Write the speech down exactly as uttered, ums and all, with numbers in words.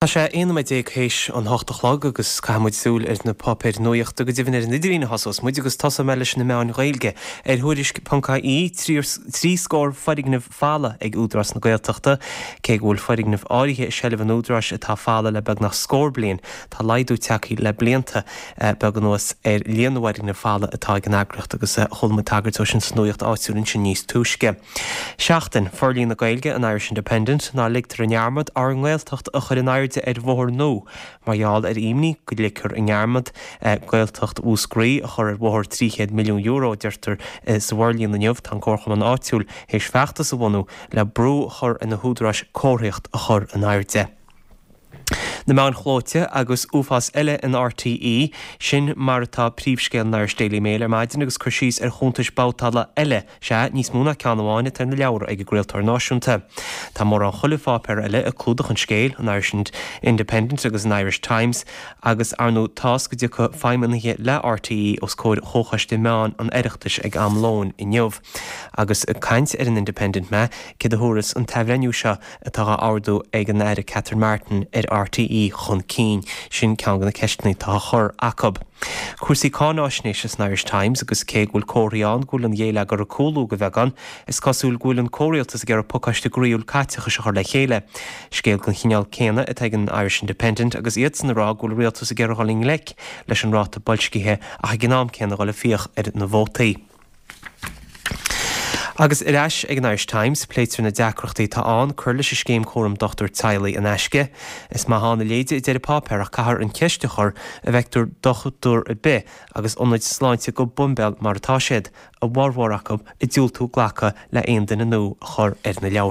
Tá sé aon nóiméad déag théis an hocht a chlog agus caithfidh muid súil ar na páipéir nuachta go deimhin ar an idirlíon a thosós muid agus tosóidh mé leis na meáin Ghaeilge. Ar Thuairisc ponc ie, trí scór foirgneamh folamh ag Údarás na Gaeltachta. Cé go bhfuil foirgnimh áirithe i seilbh an Údaráis atá folamh le beagnach scór bliain, tá laghdú tagtha le blianta beaga anuas ar líon na bhfoirgneamh folamh atá ag an eagraíocht agus chuala muid tagairt dó sin sa nuacht áitiúil ansin níos túisce. Seachtain, Forlíonadh Gaeilge an Irish Independent, ná ligtear i ndearmad ár nGaeltacht a chur in airde ar bhóthar nua mar gheall ar imní go ligfear i ndearmad Gaeltacht Mhúscraí a chur ar bhóthar trí chéad milliún euro, a deirtear sa bhForlíonadh inniu. Tá an Comharchumann áitiúil théis feachtas a bhunú le brú a chur ar na húdaráis comharthaíocht a chur in airde. Na meáin chlóite agus uafás eile in RTÉ, sin mar atá príomhscéal an Irish Daily Mail ar maidin agus cur síos ar chuntais babhtála eile, sea, níos mó ná ceann amháin atá ar na leabhra ag an gcraoltóir náisiúnta. Tá mórán chuile pháipéar eile ag clúdach an scéil, an Irish Independent agus an Irish Times, agus ar ndóigh tá's go dtiocfaidh feidhmeannaithe le RTÉ os comhair Chomhchoiste Meán an Oireachtais ag am lóin inniu. Agus ag caint ar an Independent mé, céard a thabharfas an t-athbhreithniú seo atá á ordú ag an Aire Catherine Martin ar RTÉ chun cinn? Sin ceann de na ceisteanna atá á chur acu. Cúrsaí cáináisnéise san Irish Times agus cé go bhfuil comharthaí ann go bhfuil an ghéilleagar ag cúlú go beagán, is cosúil go bhfuil an comhrialtas ag iarraidh pacáiste groíúil caiteachais a chur le chéile. Scéal den chineál céanna atá ag an Irish Independent agus iadsan ag rá go bhfuil an rialtas ag iarraidh dul i ngleic leis an ráta boilscithe ach ag an am céanna dul ag fiach ar na vótaí. Agus ar ais ag an Irish Times, pléitear na deacrachtaí atá ann cur leis an scéim cúram dochtúir teaghlaigh in aisce. Is maith ann a leithéide a deir an páipéar ach caithfear an cheist a chur an bhfeictear dochtúir ar bith agus ionaid sláinte go boimbéal mar atá siad, a bhformhór acu ag diúltú glacadh le haon duine nua a chur ar na leabhra.